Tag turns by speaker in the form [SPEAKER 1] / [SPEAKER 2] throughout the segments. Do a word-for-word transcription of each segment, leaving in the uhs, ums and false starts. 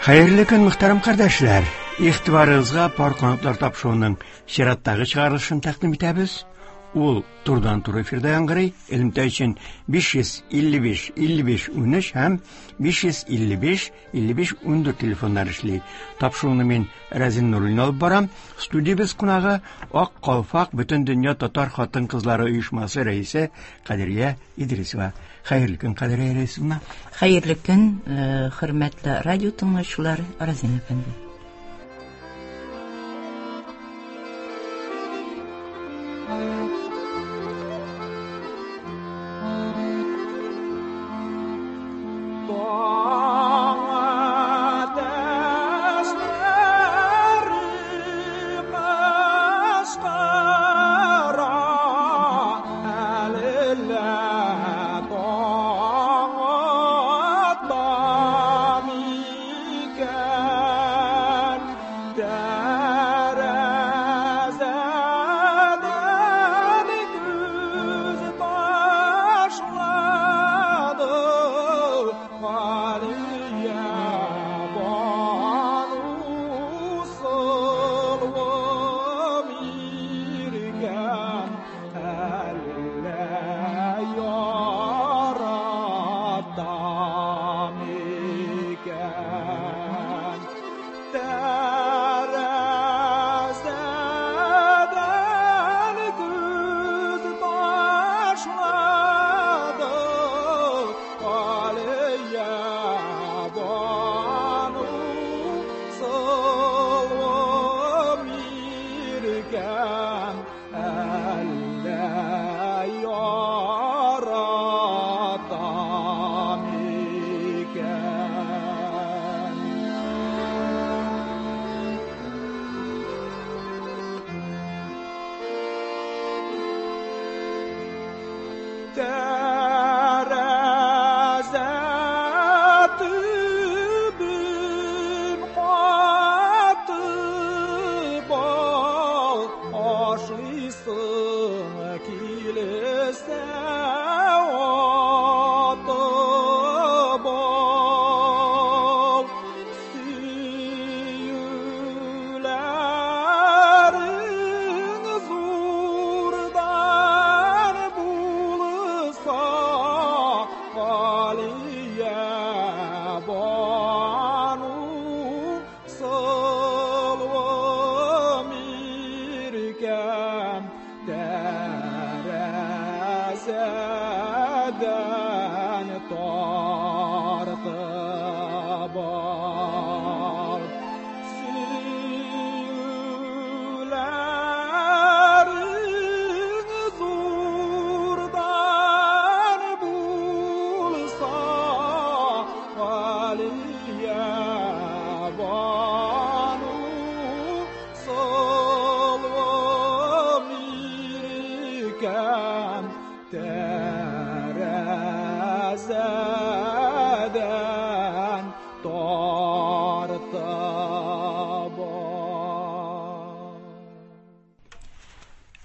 [SPEAKER 1] Хәерле көн, мөхтәрәм кардәшләр. Игътибарыгызга Пар канатлар тапшыруының чираттагы чыгарылышын тәкъдим итәбез. Ул турыдан-туры эфирда яңгырый. Элемтә өчен биш йөз илле биш илле биш унөч һәм биш йөз илле биш илле биш ундүрт телефоннар эшли. Тапшыруны мин Рәзин Нуруллин алып барам. Студиябез кунагы Ак калфак Бөтен дөнья татар хатын-кызлары оешмасы рәисе Кадрия Идрисова. Хәерле көн, Кадрия Идрисовна.
[SPEAKER 2] Хәерле көн, э, хөрмәтле радио тыңлаучылар, Рәзин әфәнде.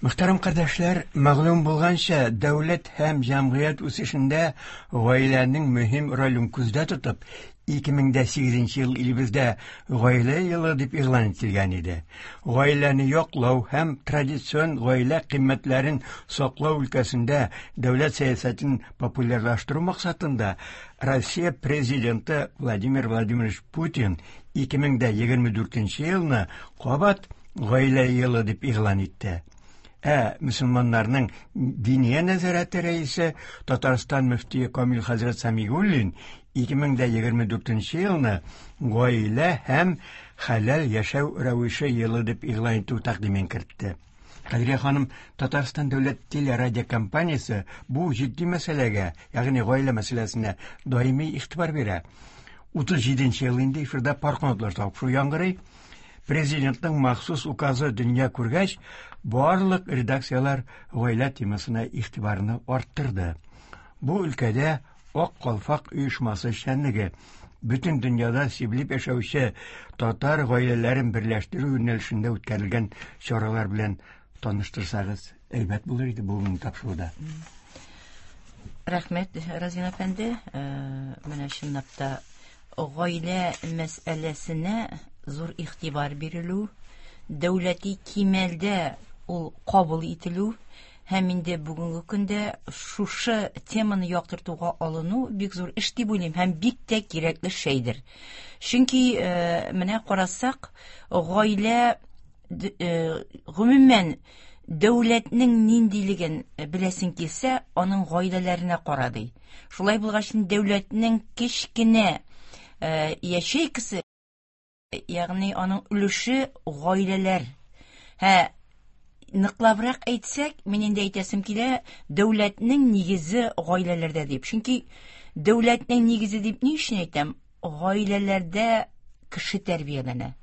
[SPEAKER 1] Мөхтәрәм кардәшләр, мәгълүм булганча, дәүләт һәм җәмгыять үсешендә гаиләнең мөһим ролен күздә тотып, ике мең дә сигезенче ел илебездә гаилә елы дип игълан ителгән иде. Гаиләне яклау һәм традицион гаилә кыйммәтләрен саклау өлкәсендә дәүләт сәясәтен популярлаштыру максатында Россия президенты Владимир Владимирович Путин ике мең дә егерме дүртенче елны кабат гаилә елы дип игълан итте. Ә мөселманнарның диния нәзарәте рәисе Татарстан мөфтие Камил хәзрәт Сәмигуллин ике мең дә егерме дүртенче елны гаилә һәм хәләл яшәү рәвеше елы дип игълан итү тәкъдимен кертте. Кадрия ханым, Татарстан дәүләт телерадиокомпаниясе бу җитди мәсьәләгә, ягъни гаилә мәсьәләсенә даими игътибар бирә. Утыз җиденче ел инде эфирда Пар канатлар тапшыру яңгырый. Президентның махсус указы дөнья күргәч, барлык редакцияләр гаилә темасына игътибарны арттырды. Бу өлкәдә Ак калфак оешмасы эшчәнлеге бөтен дөньяда сибелеп яшәүче татар гаиләләрен берләштерү юнәлешендә үткәрелгән чаралар белән таныштырсагыз, әйбәт булыр иде бүгенге тапшыруда.
[SPEAKER 2] Рәхмәт, Разин әфәнде. Э, менә чынлап та гаилә мәсьәләсенә зур игътибар бирелү, дәүләти кимәлдә ул кабул ителү һәм инде бүгенге көндә шушы теманы яктыртуга алыну бик зур эш дип уйлыйм һәм бик тә кирәкле шәйдер. Чөнки э, менә карасак, гаилә э, гомумән дәүләтнең ниндилеген беләсең килсә, аның гаиләләренә кара ди. Шулай булгач, дәүләтнең кечкенә э, ячейкасы, ягъни аның өлеше гаиләләр. Һә, ныклабрак әйтсәк, мин инде әйтәсем килә, дәүләтнең нигезе гаиләләрдә дип. Чөнки дәүләтнең нигезе дип ни өчен әйтәм? Гаиләләрдә кеше тәрбияләнә.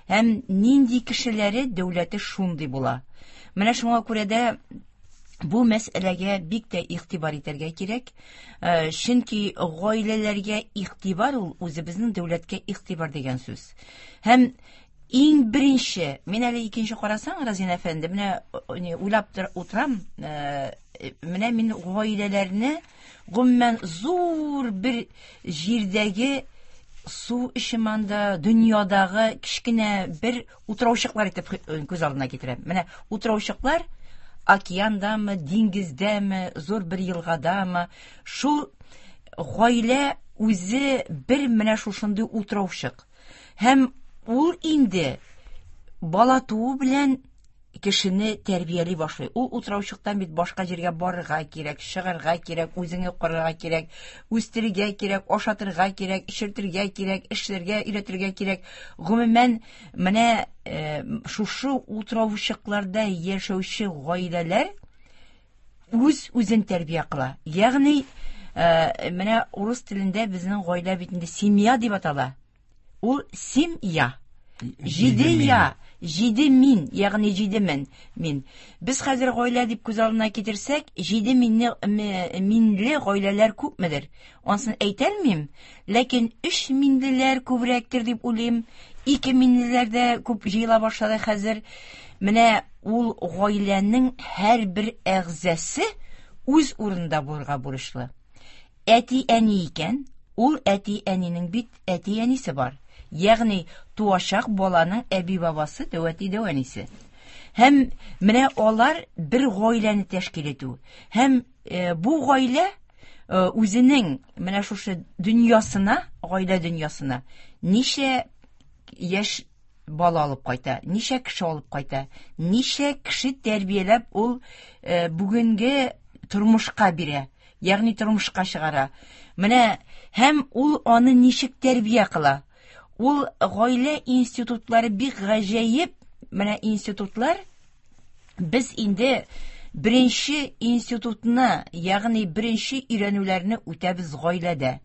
[SPEAKER 2] Һәм нинди кешеләре дәүләте шундый була. Менә шуңа күрә дә бу мәсьәләгә бик тә игътибар итәргә кирәк. Э, Чөнки гаиләләргә игътибар ул үзебезнең дәүләткә игътибар дигән сүз. Һәм иң беренче, мин әле икенче карасаң, Разин әфәнде, менә э, уйлап утырам, э, менә мин гаиләләрне гомумән зур бер җирдәге су эчеманда дөньядагы кечкенә бер утраучыклар итеп күз алдына китерәм. Менә утраучыклар океандамы, диңгездәме, зур бер елгадамы, шул гаилә үзе бер менә шушындый утраучык. Һәм ул инде бала туу белән кешене тәрбияли башлый. Ул утраучыктан бит башка җиргә барырга кирәк, чыгарга кирәк, үзеңне карарга кирәк, үстерергә кирәк, ашатырга кирәк, эчертергә кирәк, эшләргә өйрәтергә кирәк. Гомумән, менә э, шушы утраучыкларда яшәүче гаиләләр үз үзен тәрбия кыла. Ягъни, э, менә урыс телендә безнең гаилә бит инде семья дип атала. Ул семья. Җиде я, җиде мин, ягъни җиде мен, мин. Без хәзер гаилә дип күз алдына китерсәк, җиде минне минле гаиләләр күпмедер? Ансын әйтә алмыйм, ләкин өч минлеләр күбрәктер дип уйлыйм. Ике минлеләр дә күп җыела башлады хәзер. Менә ул гаиләнең һәрбер әгъзасы үз урынында булырга бурычлы. Әти-әни икән, ул әти-әнинең бит әти-әнисе бар. Ягъни туачак баланың әби-бабасы, дәү әти-дәү әнисе. Һәм менә алар бер гаиләне тәшкил итү. Һәм э, бу гаилә э, үзенең менә шушы дөньясына, гаилә дөньясына ничә яшь бала алып кайта, ничә кеше алып кайта, ничә кеше тәрбияләп ул э, бүгенге тормышка бирә, ягъни тормышка чыгара. Менә һәм ул аны ничек тәрбия кыла? Ул гаилә институтлары бик гаҗәеп, менә институтлар без инде беренче институтны, ягъни беренче өйрәнүләрне үтәбез гаиләдә.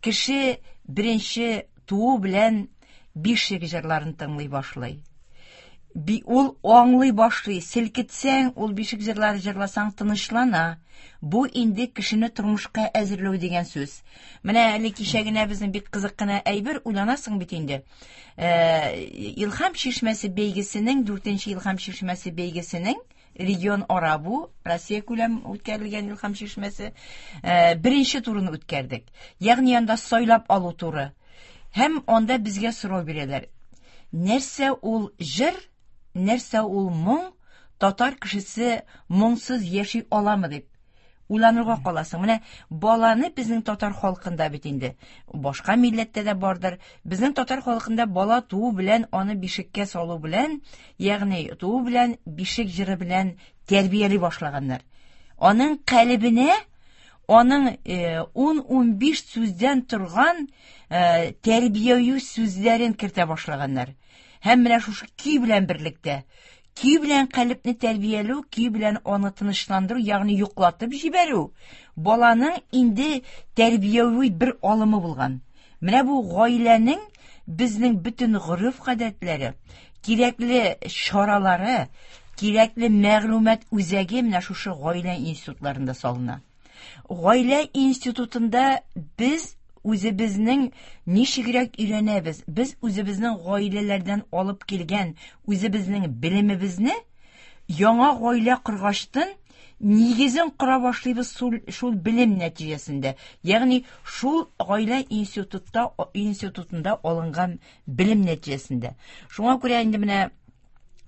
[SPEAKER 2] Кеше беренче туу белән бишек җырларын тыңлый башлый. Би, ул аңлый башлый, селкетсәң, ул бишек җырлары җырласаң тынычлана. Бу инде кешене тормышка әзерләү дигән сүз. Менә әле кичә генә безнең бик кызык кына әйбер уйланасың бит инде. Э, Илһам чишмәсе бәйгесенең, дүртенче Илһам чишмәсе бәйгесенең регион ара бу, Россия күләм үткәрелгән Илһам чишмәсе, э, беренче турын үткәрдек. Ягъни анда сайлап алу туры. Һәм анда безгә сорау бирәләр. Нәрсә ул җыр, нәрсә ул моң, татар кешесе моңсыз яши аламы дип уйланырга каласың. Менә баланы безнең татар халкында бит инде, башка милләттә дә бардыр. Безнең татар халкында бала туу белән аны бишеккә салу белән, ягъни туу белән бишек җыры белән тәрбияли башлаганнар. Аның калебенә аның ун-унбиш сүздән торган э, тәрбияви сүзләрен кертә башлаганнар. Һәм менә шушы көй белән берлектә, көй белән калебне тәрбияләү, көй белән аны тынычландыру, ягъни йоклатып җибәрү, баланың инде тәрбияви бер алымы булган. Менә бу гаиләнең безнең бөтен гореф-гадәтләре, кирәкле чаралары, кирәкле мәгълүмат үзәге менә шушы гаилә институтларында салына. Гаилә институтында без үзебезнең ничегрәк өйрәнәбез? Без үзебезнең гаиләләрдән алып килгән үзебезнең белемебезне яңа гаилә коргачтын нигезен кора башлыйбыз шул, шул белем нәтиҗәсендә. Ягъни шул гаилә институтта институтында алынган белем нәтиҗәсендә. Шуңа күрә инде менә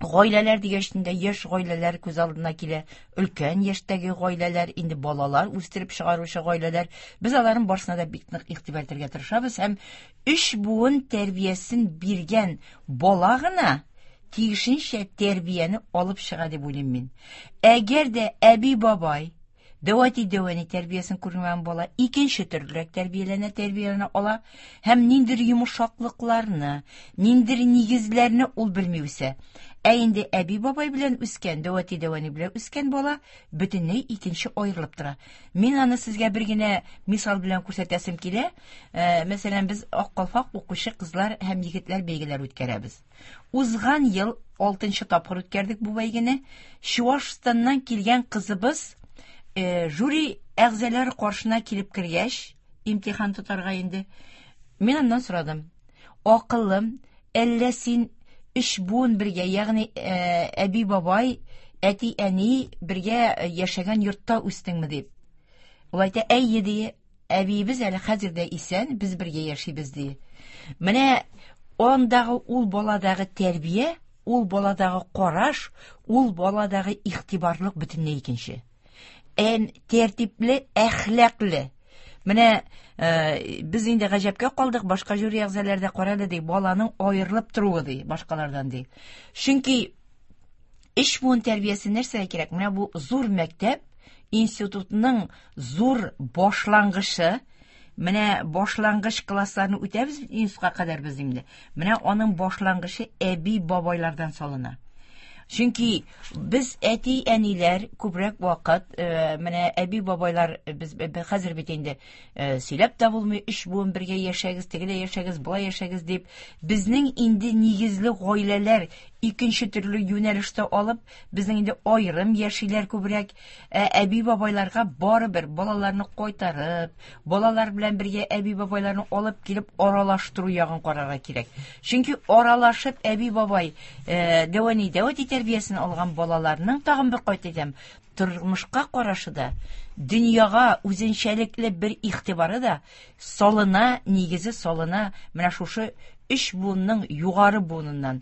[SPEAKER 2] гаиләләр дигәч инде яшь гаиләләр күз алдына килә, өлкән яшьтәге гаиләләр, инде балалар үстереп чыгаручы гаиләләр. Без аларның барысына да бик нык игътибар итәргә тырышабыз һәм өч буын тәрбиясен биргән бала гына тиешенчә тәрбияне алып чыга дип уйлыйм мин. Әгәр дә әби-бабай, дәү әти-дәү әни тәрбиясен күрмәгән бала икенче төрлерәк тәрбияләнә, тәрбияләнә ала һәм ниндидер йомшаклыкларны, ниндидер нигезләрне ул белми үсә. Ә инде әби-бабай белән үскән, дәү әти-дәү әни белән үскән бала бөтенләй икенче аерылып тора. Мин аны сезгә бер генә мисал белән күрсәтәсем килә. Э, мәсәлән, без Ак калфак укучы кызлар һәм егетләр бәйгеләр үткәрәбез. Узган ел алтынчы тапкыр үткәрдек бу бәйгене. Чуашстаннан килгән кызыбыз э, жюри әгъзалары каршына килеп кергәч, имтихан тотарга инде. Мин аннан сорадым. Акыллым, әллә син өч буын бергә, ягъни э, әби-бабай, әти-әни бергә яшәгән йортта үстеңме дип. Ул әйтә, әйе ди, әбиебез әле хәзер дә исән, без бергә яшибез ди. Менә андагы ул баладагы тәрбия, ул баладагы караш, ул баладагы игътибарлык бөтенләй икенче. Ән тәртипле, әхлаклы. Менә э, без инде гаҗәпкә калдык, башка жюри әгъзалары да карады ди, баланың аерылып торуы ди, башкалардан ди. Чөнки өч буын тәрбиясе нәрсәгә кирәк? Менә бу зур мәктәп, институтның зур башлангычы, менә башлангыч классларны үтәбез институтка кадәр без инде. Менә аның башлангычы әби-бабайлардан салына. Чөнки без әти-әниләр күбрәк вакыт, э, менә әби-бабайлар без хәзер бит инде э, сөйләп тә булмый, өч буын бергә яшәгез, тегеләй яшәгез, болай яшәгез дип, безнең инде нигезле гаиләләр икенче төрле юнәлештә алып, безнең инде аерым яшиләр күбрәк. Ә әби-бабайларга барыбер балаларны кайтарып, балалар белән бергә әби-бабайларны алып килеп аралаштыру ягын карарга кирәк. Чөнки аралашып әби-бабай, э, дәү әни, дәү әти тәрбиясен алган балаларның тагын бер кайт әйтәм, тормышка карашы да, дөньяга үзенчәлекле бер игътибары да салына, нигезе салына менә шушы өч буынның югары буыныннан.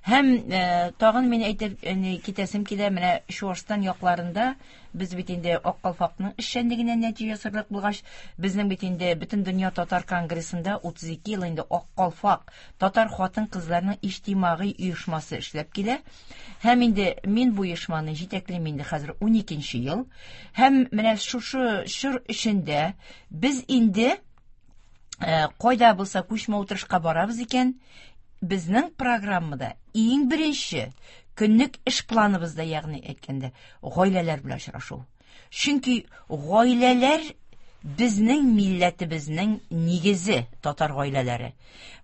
[SPEAKER 2] Һәм, э, тагын мин әйтеп, э, китәсем килә, менә Чуашстан якларында без бит инде Ак калфакның эшчәнлегенә нәтиҗә ясарлык булгач, безнең бит инде бөтен дөнья татар конгрессында утыз ике ел инде Ак калфак татар хатын-кызларының иҗтимагый оешмасы эшләп килә. Һәм инде мин бу оешманы җитәклим инде хәзер ун икенче ел. Һәм менә шушы чор эчендә без инде, э, кайда булса күчмә утырышка барабыз икән, безнең программада иң беренче көнлек эш планыбызда, ягъни әйткәндә, гаиләләр белән очрашу. Чөнки гаиләләр безнең милләтебезнең нигезе, татар гаиләләре.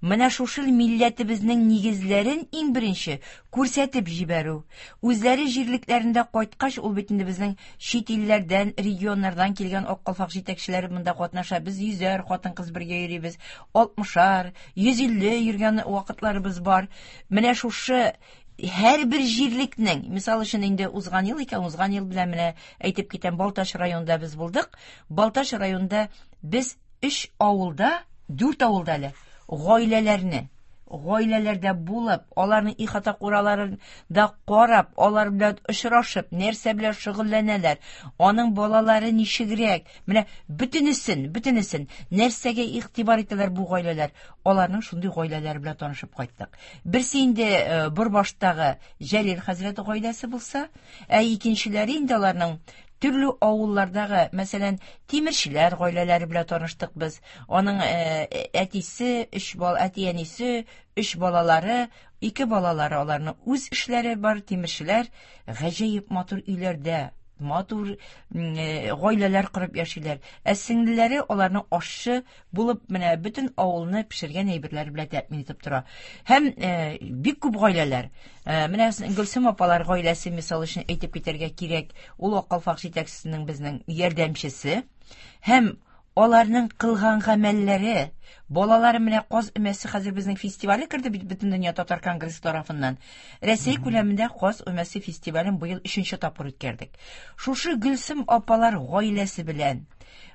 [SPEAKER 2] Менә шушы милләтебезнең нигезләрен иң беренче күрсәтеп җибәрү. Үзләре җирлекләрендә кайткач, ул бит инде безнең чит илләрдән, регионнардан килгән Ак калфак җитәкчеләре монда катнаша. Без йөзәр хатын-кыз бергә йөрибез, алтмышар, йөз илле йөргән вакытларыбыз бар. Менә шушы һәрбер җирлекнең, мисал өчен инде узган ел икән, узган ел белән менә әйтеп китәм, Балтач районында без булдык. Балтач районында без өч авылда, дүрт авылда әле гаиләләрне, гаиләләрдә булып, аларның ихата кураларын да карап, алар белән очрашып, нәрсә белән шөгыльләнәләр, аның балалары ничегрәк, менә бөтенесен, бөтенесен нәрсәгә игътибар итәләр бу гаиләләр, аларның шундый гаиләләре белән танышып кайттык. Берсе инде, э, Борбаштагы Җәлил хәзрәт гаиләсе булса, ә икенчеләре инде аларның төрле авыллардагы, мәсәлән, тимерчеләр гаиләләре белән таныштык без. Аның, э, әтисе, өч бал, әти-әнисе, өч балалары, ике балалары, аларның үз эшләре бар, тимерчеләр, гаҗәеп матур өйләрдә, матур, м, э, гаиләләр корып яшиләр. Ә сеңлеләре аларның ашчы булып, менә бөтен авылны пешергән әйберләр белән тәэмин итеп тора. Һәм, э, бик күп гаиләләр. Э, менә Гөлсем апалар гаиләсе мисал өчен әйтеп китәргә кирәк. Ул Ак калфак җитәкчесенең безнең ярдәмчесе. Һәм Аларның кылган гамәлләре, балалары менә Каз өмәсе хәзер безнең фестивале керде бит Бөтендөнья татар конгрессы тарафыннан. Рәсәй күләмендә Каз өмәсе фестивален быел өченче тапкыр үткәрдек. Шушы Гөлсем апалар гаиләсе белән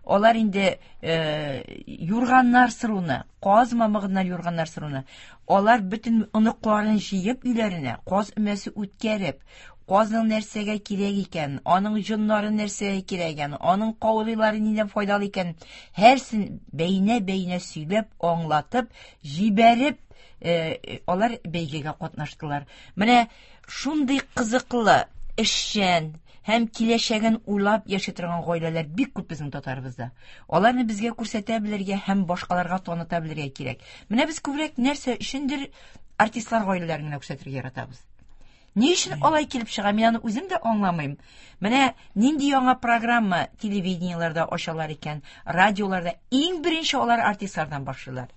[SPEAKER 2] алар инде э, юрганнар сыруны, каз мамыгыннан юрганнар сыруны, алар бөтен оныкларын җыеп өйләренә каз өмәсе үткәреп, казның нәрсәгә кирәк икән, аның җоннары нәрсәгә кирәк икән, аның каурыйлары нидән файдалы икән, һәрсен бәйнә-бәйнә сөйләп, аңлатып, җибәреп, э, алар бәйгегә катнаштылар. Менә шундый кызыклы, эшчән һәм киләчәген уйлап яши торган гаиләләр бик күп безнең татарыбызда. Аларны безгә күрсәтә белергә һәм башкаларга таныта белергә кирәк. Менә без күбрәк нәрсә өчендер артистлар гаиләләрен генә күрсәтергә яратабыз. Ни өчен алай килеп чыга, мин аны үзем дә аңламыйм. Менә нинди яңа программа телевидениеләрдә ачалар икән, радиоларда иң беренче алар артистлардан башлыйлар.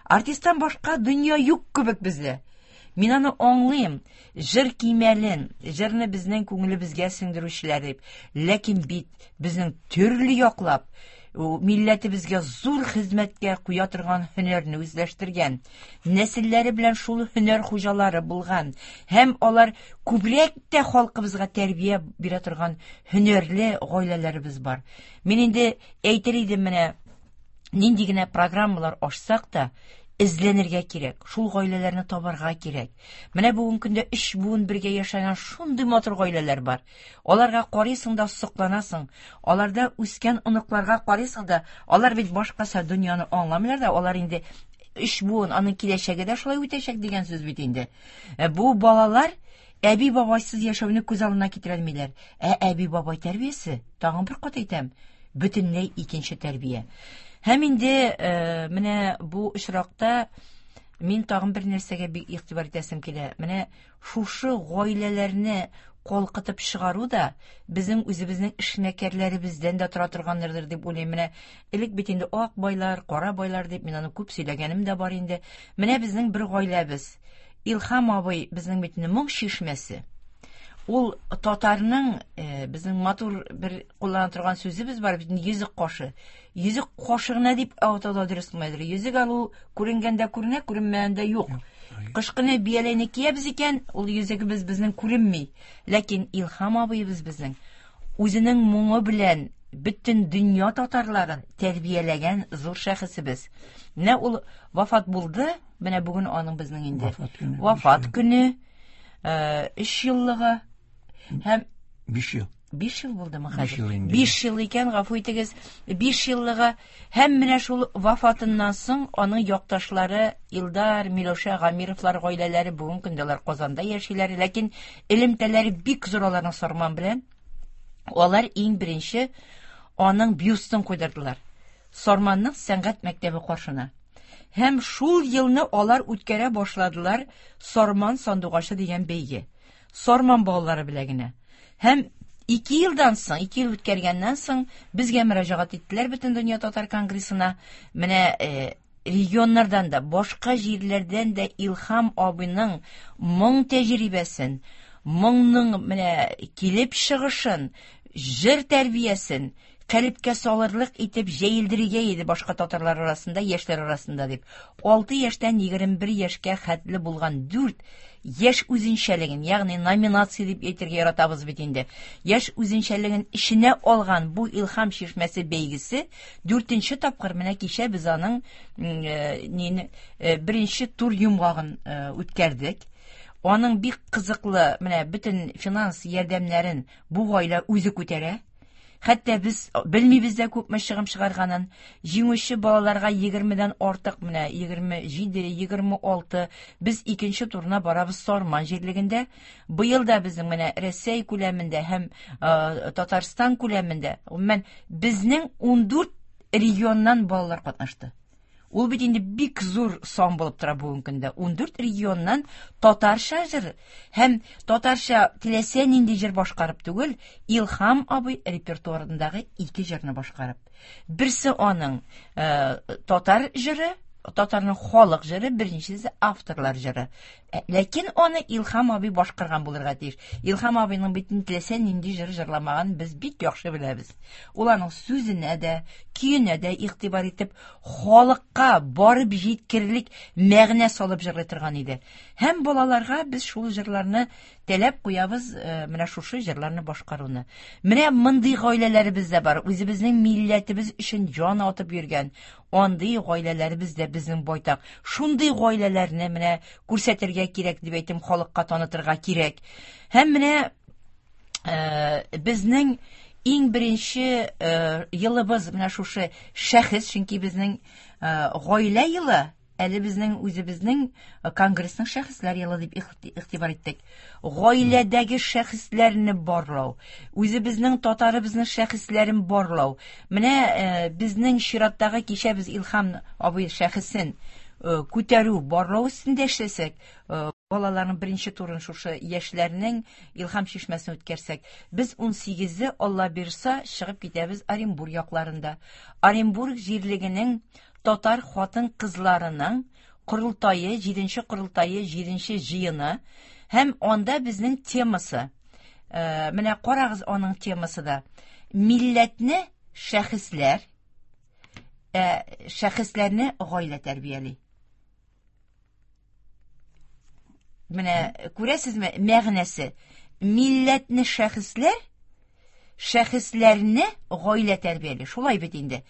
[SPEAKER 2] Артисттан башка дөнья юк кебек бездә. Мин аны аңлыйм. Җыр кимәлен, җырны безнең күңелебезгә сеңдерүчеләр дип. Ләкин бит безнең төрле яклап, милләтебезгә зур хезмәткә куя торган һөнәрне үзләштергән, нәселләре белән шул һөнәр хуҗалары булган һәм алар күбрәк тә халкыбызга тәрбия бирә торган һөнәрле гаиләләребез бар. Мин инде әйтер идем, менә нинди генә программалар ачсак та, эзләнергә кирәк, шул гаиләләрне табарга кирәк. Менә бүгенге көндә өч буын бергә яшәгән шундый матур гаиләләр бар. Аларга карыйсың да сокланасың. Аларда үскән оныкларга карыйсың да, алар бит башкача дөньяны аңламыйлар да, алар инде өч буын, аның киләчәге дә шулай үтәчәк дигән сүз бит инде. Бу балалар әби бабайсыз яшәүне күз алдына китерә алмыйлар. Ә әби бабай тәрбиясе, тагын бер кат әйтәм, бөтенләй икенче тәрбия. Һәм инде э, менә бу очракта мин тагын бер нәрсәгә бик игътибар итәсем килә. Менә шушы гаиләләрне калкытып чыгару да безнең үзебезнең эшмәкәрләребездән дә тора торгандыр дип уйлыйм. Менә элек бит инде ак байлар, кара байлар дип мин аны күп сөйләгәнем дә бар инде. Менә безнең бер гаиләбез. Илһам абый безнең бит инде моң чишмәсе. Ул татарның, э, безнең матур бер куллана торган сүзебез бар бит, йөзек кашы. Йөзек кашы гына дип атау дөрес булмайдыр. Йөзек алу күренгәндә күренә, күренмәгәндә юк. Кышкыны бияләйне киябез икән, ул йөзегебез безнең күренми. Ләкин Илһам абыебыз безнең үзенең моңы белән бөтен дөнья татарларын тәрбияләгән зур шәхесебез. Менә ул вафат булды, менә бүген аның безнең инде
[SPEAKER 1] вафат көне,
[SPEAKER 2] вафат көне, өч еллыгы һәм
[SPEAKER 1] биш ел.
[SPEAKER 2] Биш ел булдымы
[SPEAKER 1] Биш
[SPEAKER 2] хәзер?
[SPEAKER 1] ел инде.
[SPEAKER 2] Биш ел икән, гафу итегез. Биш еллыгы һәм менә шул вафатыннан соң аның якташлары Илдар, Миләүшә Гамировлар гаиләләре бүген көндә алар Казанда яшиләр, ләкин элемтәләре бик зур аларның Сарман белән. Алар иң беренче аның бюстын куйдырдылар. Сарманның сәнгать мәктәбе каршына. Һәм шул елны алар үткәрә башладылар Сарман сандугачы дигән бәйге. Сарман балалары белән генә. Һәм ике елдан соң, ике ел үткәргәннән соң безгә мөрәҗәгать иттеләр Бөтендөнья татар конгрессына. Менә э, регионнардан да, башка җирләрдән дә Илһам абыйның моң тәҗрибәсен, моңның менә килеп чыгышын, җыр тәрбиясен калепкә салырлык итеп җәелдерергә иде башка татарлар арасында, яшьләр арасында дип. Алты яшьтән егерме бер яшькә хәтле булган дүрт яшь үзенчәлеген, ягъни номинация дип әйтергә яратабыз бит инде. Яшь үзенчәлеген эченә алган бу Илһам чишмәсе бәйгесе дүртенче тапкыр менә кичә без аның, э, нине, э, беренче тур йомгагын, э, үткәрдек. Аның бик кызыклы менә бөтен финанс ярдәмнәрен бу гаилә үзе күтәрә. Хәтта без белмибез дә күпме чыгым чыгарганын. Җиңүче балаларга егермедән артык, менә егерме җиде, егерме алты, без икенче турына барабыз Сарман җирлегендә. Быел да безнең менә Рәсәй күләмендә һәм, э, Татарстан күләмендә, гомумән, безнең ундүрт регионнан балалар катнашты. Ул бит инде бик зур сан булып тора бүгенге көндә. Ундүрт регионнан татарча җыр һәм татарча теләсә нинди җыр башкарып түгел, Илһам абый репертуарындагы ике җырны башкарып. Берсе аның, э, татар җыры, татарның халык җыры, беренчесе авторлар җыры. Ләкин аны Илһам абый башкарган булырга тиеш. Илһам абыйның бит теләсә нинди җыр җырламаган без бик яхшы беләбез. Ул аның сүзенә дә, көенә дә игътибар итеп, халыкка барып җиткерлек мәгънә салып җырлый торган иде. Һәм балаларга без шул җырларны таләп куябыз, менә шушы җырларны башкаруны. Менә мондый гаиләләребез дә бар. Үзебезнең милләтебез өчен җан атып йөргән андый гаиләләребез дә безнең байтак. Шундый гаиләләрне менә күрсәтергә кирәк дип әйтем, халыкка танытырга кирәк. Һәм менә э, безнең иң беренче э, елыбыз менә шушы шәхес, чөнки безнең э, гаилә елы әле безнең үзебезнең конгрессның шәхесләр елы дип игътибар иттек. Гаиләдәге шәхесләрне барлау, үзебезнең татарыбызның шәхесләрен барлау. Менә э, безнең чираттагы кичә без Илһам абый шәхесен э, күтәрү, барлау өстендә эшләсәк, э, балаларның беренче турын шушы яшьләрнең Илһам чишмәсен үткәрсәк, без ун сигезе Алла бирса чыгып китәбез Оренбург якларында. Оренбург җирлегенең татар хатын-кызларының корылтае, җиденче корылтае, җиденче җыены, һәм анда безнең темасы. Э, менә карагыз аның темасы да. Милләтне шәхесләр, ә шәхесләрне гаилә тәрбияли. Менә күрәсезме мәгънәсе? Милләтне шәхесләр, шәхесләрне гаилә тәрбияли. Шулай бит инде.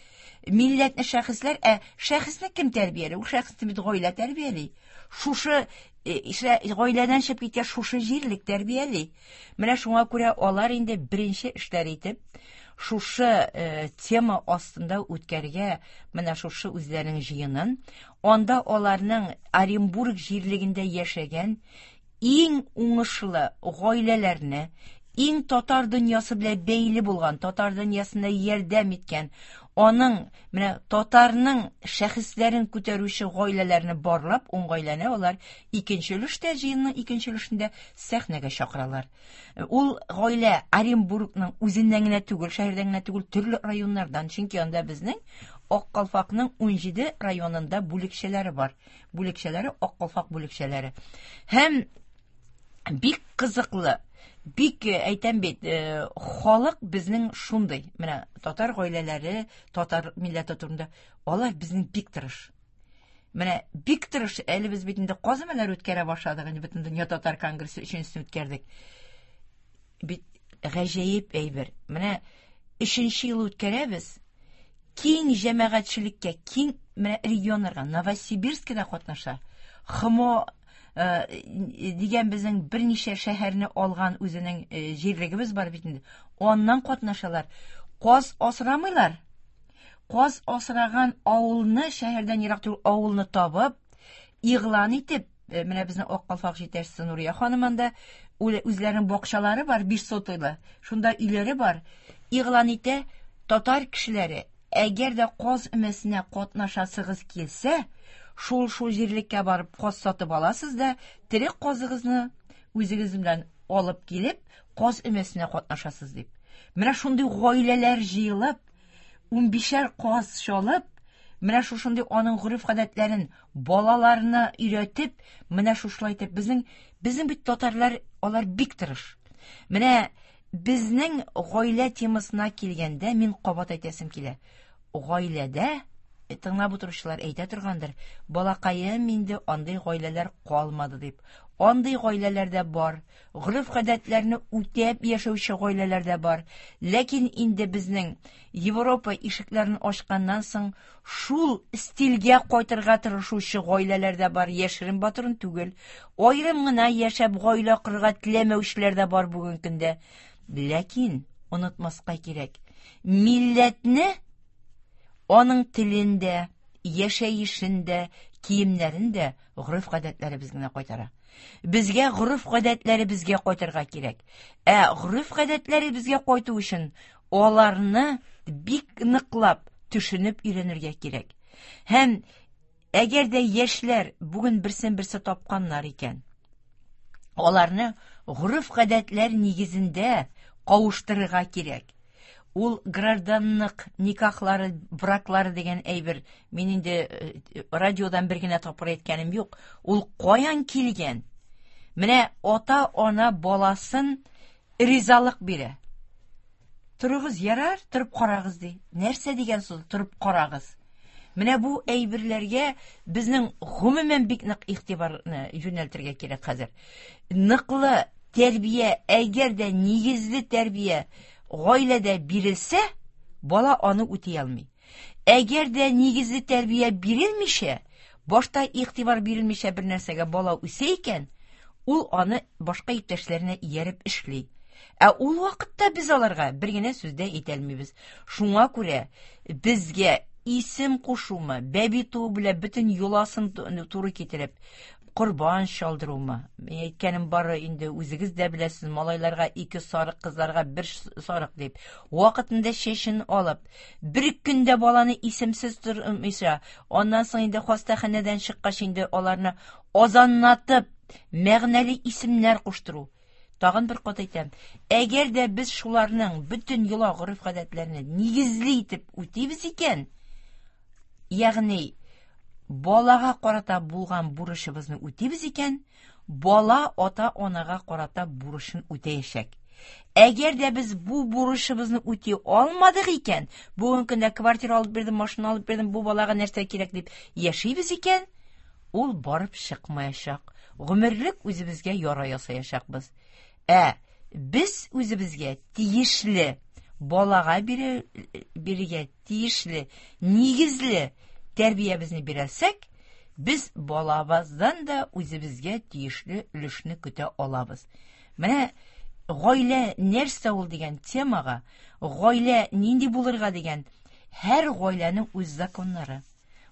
[SPEAKER 2] Милләтне шәхесләр, ә шәхесне кем тәрбияли? Ул шәхесне бит гаилә тәрбияли. Шушы гаиләдән чыгып киткән шушы җирлек тәрбияли. Менә шуңа күрә алар инде беренче эшләр итеп шушы э, тема астында үткәргә менә шушы үзләренең җыенын. Анда аларның Оренбург җирлегендә яшәгән иң уңышлы гаиләләрне, иң татар дөньясы белән бәйле булган, татар дөньясына ярдәм иткән, аның менә татарның шәхесләрен күтәрүче гаиләләрне барлап, ун гаиләне алар икенче өлештә, җыенның икенче өлешендә сәхнәгә чакыралар. Ул гаилә Оренбургның үзеннән генә түгел, шәһәрдән генә түгел, төрле районнардан, чөнки анда безнең Ак Калфакның ун җиде районында бүлекчәләре бар. Бүлекчәләре Ак Калфак бүлекчәләре. Һәм бик кызыклы, бик әйтәм бит, халык безнең шундый. Менә татар гаиләләре, татар милләте турында алар безнең бик тырыш. Менә бик тырыш. Әле без бит инде казымалар үткәрә башладык, инде бөтен дөнья татар конгрессы өченчесен үткәрдек. Бит гаҗәеп әйбер. Менә өченче ел үткәрәбез. Киң җәмәгатьчелеккә, киң менә регионнарга, Новосибирскида катнаша. Хмо дигән безнең берничә шәһәрне алган үзенең җирлегебез бар бит инде. Аннан катнашалар. Каз асрамыйлар. Каз асраган авылны, шәһәрдән ерак түгел авылны табып, игълан итеп, менә безнең Ак Калфак җитәкчесе Нурия ханым анда үзләренең бакчалары бар, биш сотыйлы. Шунда өйләре бар. Игълан итә, татар кешеләре, әгәр дә каз өмәсенә катнашасыгыз килсә, шул-шул җирлеккә барып каз сатып аласыз да, тере казыгызны үзегез белән алып килеп, каз өмәсенә катнашасыз дип. Менә шундый гаиләләр җыелып, унбишәр каз чалып, менә шушындый аның гореф-гадәтләрен балаларына өйрәтеп, менә шушылай итеп безнең безнең бит татарлар алар бик тырыш. Менә безнең гаилә темасына килгәндә мин кабат әйтәсем килә. Гаиләдә тыңлап утыручылар әйтә торгандыр, балакаем инде андый гаиләләр калмады дип. Андый гаиләләр дә бар, гореф-гадәтләрне үтәп яшәүче гаиләләр дә бар. Ләкин инде безнең Европа ишекләрен ачканнан соң шул стильгә кайтырга тырышучы гаиләләр дә бар, яшерен батырын түгел. Аерым гына яшәп гаилә корырга теләмәүчеләр дә бар бүгенге көндә. Ләкин онытмаска кирәк, милләтне аның телендә, яшәешендә, киемнәрендә гореф-гадәтләребез генә кайтара. Безгә гореф-гадәтләребезгә кайтырга кирәк. Ә гореф-гадәтләребезгә кайту өчен аларны бик ныклап төшенеп өйрәнергә кирәк. Һәм әгәр дә яшьләр бүген берсен-берсе тапканнар икән, аларны гореф-гадәтләр нигезендә кавыштырырга кирәк. Ул гражданлык никахлары, браклары дигән әйбер, мин инде радиодан бер генә тапкыр әйткәнем юк. Ул каян килгән? Менә ата-ана баласын ризалык бирә. Торыгыз, ярар, торып карагыз ди. Нәрсә дигән сүз торып карагыз? Менә бу әйберләргә безнең гомумән бик нык игътибарны юнәлтергә кирәк хәзер. Ныклы тәрбия, әгәр дә нигезле тәрбия гаиләдә бирелсә, бала аны үти алмый. Әгәр дә нигезле тәрбия бирелмичә, башта игътибар бирелмичә бер нәрсәгә бала үсә икән, ул аны башка иптәшләренә ияреп эшли. Ә ул вакытта без аларга бер генә сүз дә әйтә алмыйбыз. Шуңа күрә безгә исем кушумы, бәби туу белән бөтен йоласын туры китереп, корбан чалдырумы? Мин әйткәнем бары инде үзегез дә беләсез, малайларга ике сарык, кызларга бер сарык дип. Вакытында чәчен алып, бер көндә баланы исемсез тормыйча, аннан соң инде хастаханәдән чыккач инде аларны азанлатып, мәгънәле исемнәр куштыру. Тагын бер кат әйтәм, әгәр дә без шуларның бөтен йола гореф-гадәтләрен нигезле итеп үтибез икән, ягъни балага карата булган бурычыбызны үтибез икән, бала ата-анага карата бурычын үтәячәк. Әгәр дә без бу бурычыбызны үти алмадык икән, бүгенге көндә квартира алып бирдем, машина алып бирдем, бу балага нәрсә кирәк дип яшибез икән, ул барып чыкмаячак. Гомерлек үзебезгә яра ясаячакбыз. Ә без үзебезгә тиешле балага бирергә тиешле нигезле тәрбиябезне бирәсәк, без балабыздан да үзебезгә тиешле өлешне көтә алабыз. Менә гаилә нәрсә ул дигән темага, гаилә нинди булырга дигән, һәр гаиләнең үз законнары,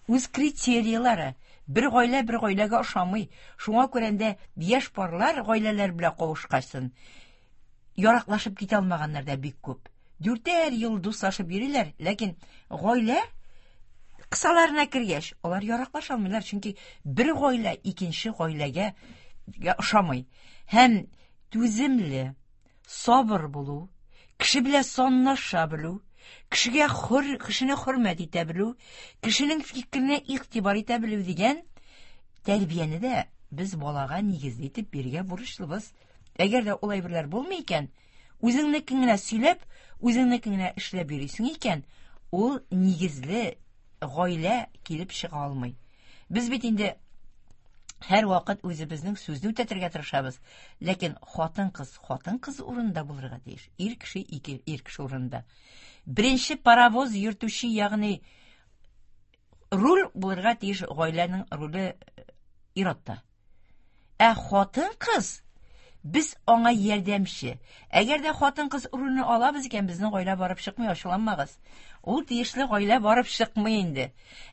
[SPEAKER 2] үз критериялары. Бер гаилә бер гаиләгә ошамый. Шуңа күрә дә яшь парлар гаиләләр белән кавышкасын яраклашып китә алмаганнар да бик күп. Дүртәр ел дуслашып йөриләр, ләкин гаилә кысаларына кергәч, алар яраклаша алмыйлар, чөнки бер гаилә икенче гаиләгә ошамый. Һәм түземле, сабыр булу, кеше белән санлаша белү, кешегә хөр, кешене хөрмәт итә белү, кешенең фикеренә игътибар итә белү дигән тәрбияне дә без балага нигезле итеп бирергә бурычлыбыз. Әгәр дә ул әйберләр булмый икән, үзеңнекен генә сөйләп, үзеңнекен генә эшләп йөрисең икән, ул нигезле гаилә килеп чыга алмый. Без бит инде һәр вакыт үзебезнең сүзне үтәтергә тырышабыз, ләкин хатын-кыз хатын-кыз урынында булырга тиеш, ир кеше ике ир кеше урынында. Беренче паровоз йөртүче, ягъни руль булырга тиеш гаиләнең руле ир-атта. Ә хатын-кыз без аңа ярдәмче. Әгәр дә хатын-кыз рульне алабыз икән, безнең гаилә барып чыкмый, ачуланмагыз. Ул тиешле гаилә барып чыкмый инде.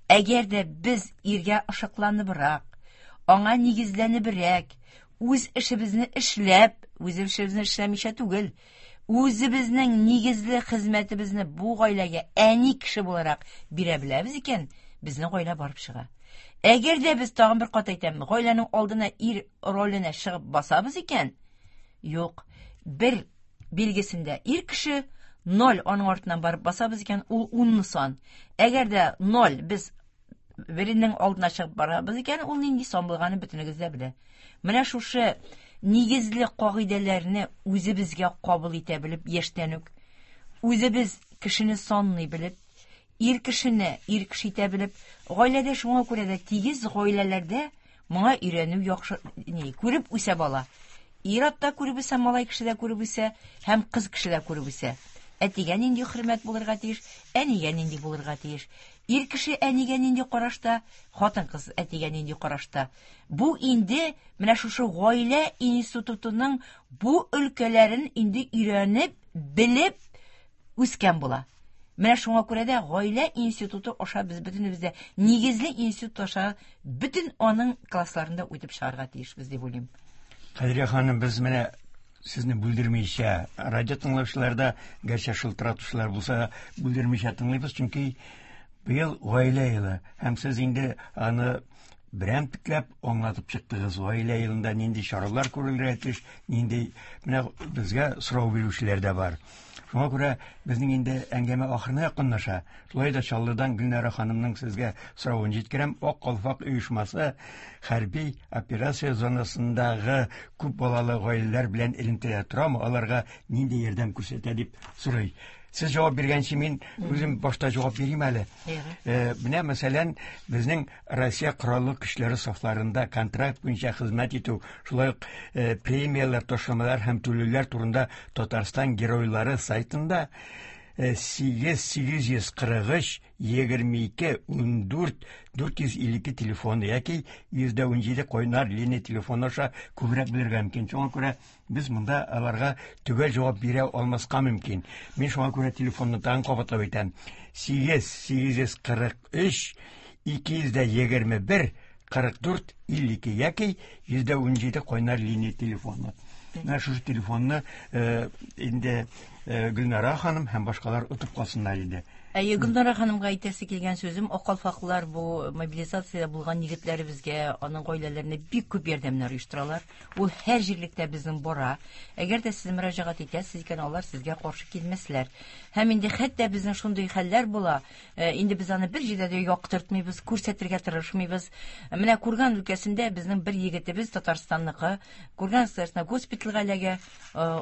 [SPEAKER 2] Әгәр дә без иргә ышыкланыбрак, аңа нигезләнебрәк, үз эшебезне эшләп, үз эшебезне эшләмичә түгел, үзебезнең нигезле хезмәтебезне бу гаиләгә әни кеше буларак бирә беләбез икән, безнең гаилә барып чыга. Әгәр дә без тагын бер кат әйтәм, гаиләнең алдына ир роленә чыгып басабыз икән, юк, бер билгесендә ир кеше ноль аның артыннан барып басабыз икән, ул унны сан. Әгәр дә ноль без беренең алдына чыгып барабыз икән, ул нинди сан булганын бөтенегез дә белә. Менә шушы нигезле кагыйдәләрне үзебезгә кабул итә белеп, яшьтән үк үзебез кешене санлый белеп, ир кешене ир кеше итә белеп, гаиләдә шуңа күрә дә тигез гаиләләрдә моңа өйрәнү яхшы, ни, күреп үсә бала. Ир-ат та күреп үсә, малай кеше дә күреп үсә, һәм кыз кеше дә күреп үсә. Әтигә нинди хөрмәт булырга тиеш, әнигә нинди булырга тиеш. Ир кеше әнигә нинди карашта, хатын-кыз әтигә нинди карашта. Бу инде менә шушы гаилә институтының бу өлкәләрен инде өйрәнеп, белеп үскән була. Менә шуңа күрә дә гаилә институты аша без бөтенебез дә нигезле институт аша бөтен аның классларында үтеп чыгарга тиешбез дип уйлыйм.
[SPEAKER 1] Кадрия ханым, без менә сезне бүлдермичә, радио тыңлаучылар да, гәрчә шылтыратучылар булса, бүлдермичә тыңлыйбыз, чөнки быел гаилә елы, һәм сез инде аны берәмтекләп аңлатып чыктыгыз. Гаилә елында нинди чаралар күрелергә тиеш, нинди, менә безгә сорау бирүчеләр дә бар. Шуңа күрә безнең инде әңгәмә ахырына якынлаша. Шулай да Чаллыдан Гөлнара ханымның сезгә соравын җиткерәм. Ак калфак оешмасы хәрби операция зонасындагы күп балалы гаиләләр белән элемтәдә торамы, аларга нинди ярдәм күрсәтә дип сорый. Сез җавап биргәнче мин үзем башта җавап бирим әле. Э, менә мәсәлән, безнең Россия Кораллы көчләре сафларында контракт буенча хезмәт итү, шулай ук э, премияләр, ташламалар һәм түләүләр турында Татарстан геройлары сайтында сигез сигез йөз кырык өч егерме ике ун дүрт дүрт йөз илле ике телефоны яки йөз дә ун җиде кайнар линия телефоны аша күбрәк белергә мөмкин. Шуңа күрә без монда аларга төгәл җавап бирә алмаска мөмкин. Мин шуңа күрә телефонны тагын кабатлап әйтәм. Сигез сигез йөз кырык өч ике йөз дә егерме бер кырык дүрт илле ике яки йөз дә ун җиде кайнар линия телефоны. Менә шушы телефонны инде Гөлнара ханым һәм башкалар отып калсыннар иде.
[SPEAKER 2] Әйе, Гөлнара ханымга әйтәсе килгән сүзем, ак калфаклар бу мобилизациядә булган егетләребезгә, аның гаиләләренә бик күп ярдәмнәр оештыралар. Ул һәр җирлектә безнең бара. Әгәр дә сез мөрәҗәгать итәсез икән, алар сезгә каршы килмәсләр. Һәм инде хәтта безнең шундый хәлләр була, инде без аны бер җирдә дә яктыртмыйбыз, күрсәтергә тырышмыйбыз. Менә Курган өлкәсендә безнең бер егетебез Татарстанныкы, Курган өлкәсендә госпитальгә эләгә.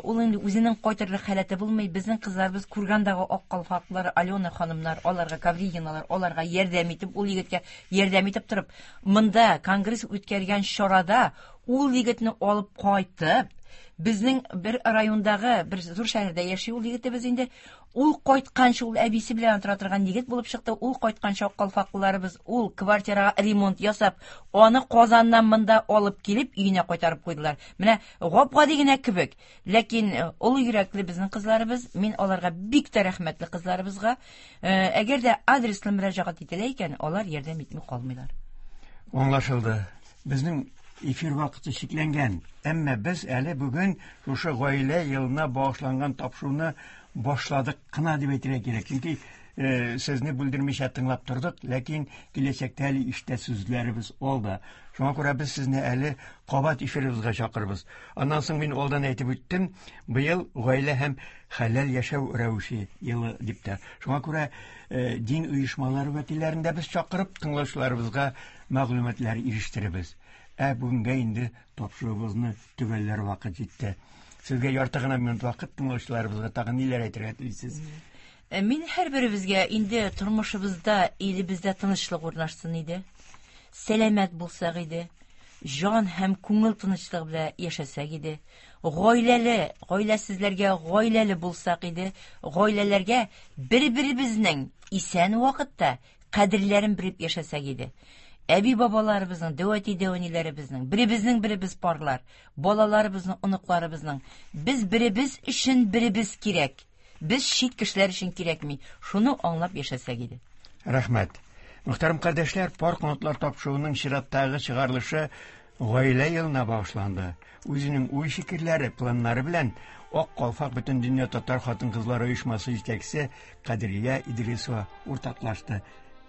[SPEAKER 2] Ул инде үзенең кайтырлык халәте булмый. Безнең кызларыбыз Кургандагы ак калфаклар, Алена ханымнар, аларга Ковригиналар, аларга ярдәм итеп, ул егеткә ярдәм итеп торып, монда конгресс үткәргән чарада ул егетне алып кайтып, безнең бер райондагы бер зур шәһәрдә яши ул егетебез инде. Ул кайтканчы ул әбисе белән тора торган егет булып чыкты. Ул кайтканчы ак калфаклыларыбыз ул квартирага ремонт ясап, аны Казаннан монда алып килеп өенә кайтарып куйдылар. Менә гап-гади генә кебек, ләкин олы йөрәкле безнең кызларыбыз, мин аларга бик тә рәхмәтле кызларыбызга. Әгәр дә адреслы мөрәҗәгать ителә икән, алар ярдәм итми калмыйлар.
[SPEAKER 1] Аңлашылды. Безнең эфир вакыты чикләнгән. Әмма без әле бүген шушы гаилә елына багышланган тапшыруны башладык кына дип әйтергә кирәк. Чөнки э, сезне бүлдермичә тыңлап тордык, ләкин киләчәктә әле иштә сүзләребез алда. Шуңа күрә без сезне әле кабат эфирыбызга чакырбыз. Аннан соң мин алдан әйтеп үттем, быел гаилә һәм хәләл яшәү рәвеше елы дип тә. Шуңа күрә э, дин оешмалары вәкилләрен дә без чакырып тыңлаучыларыбызга мәгълүматлар ирештеребез. Ә бүгенгә инде тапшыруыбызны төгәлләр вакыт җитте. Сезгә ярты гына минут вакыт, тыңлаучыларыбызга тагын ниләр әйтергә телисез?
[SPEAKER 2] Мин һәрберебезгә инде тормышыбызда, илебездә тынычлык урнашсын иде. Сәламәт булсак иде. Җан һәм күңел тынычлыгы белән яшәсәк иде. Гаиләле, гаиләсезләргә гаиләле булсак иде. Гаиләләргә бер-беребезнең исән вакытта кадерләрен белеп яшәсәк иде. Әби бабаларыбызның, дәү әти дәү әниләребезнең, беребезнең беребез парлар, балаларыбызның, оныкларыбызның. Без беребез өчен беребез кирәк. Без чит кешеләр өчен кирәкми. Шуны аңлап яшәсәк иде.
[SPEAKER 1] Рәхмәт. Мөхтәрәм кардәшләр, пар канатлар тапшыруының чираттагы чыгарылышы гаилә елына багышланды. Үзенең уй-фикерләре, планнары белән Ак калфак Бөтендөнья татар хатын-кызлары оешмасы җитәкчесе Кадрия Идрисова уртаклашты.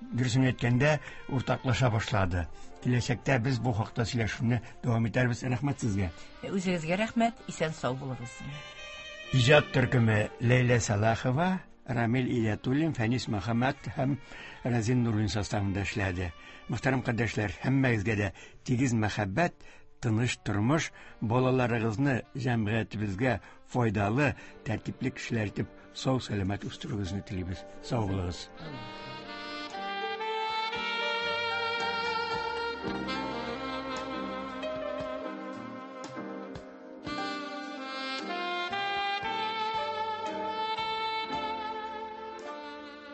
[SPEAKER 1] Дөресен әйткәндә, уртаклаша башлады. Киләчәктә без бу хакта сөйләшүне дәвам итәрбез. Рәхмәт сезгә.
[SPEAKER 2] Үзегезгә рәхмәт, исән сау булыгыз.
[SPEAKER 1] Иҗат төркеме Ләйлә Салахова, Рамил Илятуллин, Фәнис Мөхәммәт һәм Разин Нуруллин составында эшләде. Мөхтәрәм кардәшләр, һәммәгезгә дә тигез мәхәббәт, тыныч тормыш, балаларыгызны җәмгыятебезгә файдалы, тәртипле кешеләр итеп сау сәламәт үстерүегезне телибез. Сау булыгыз.
[SPEAKER 3] Thank you.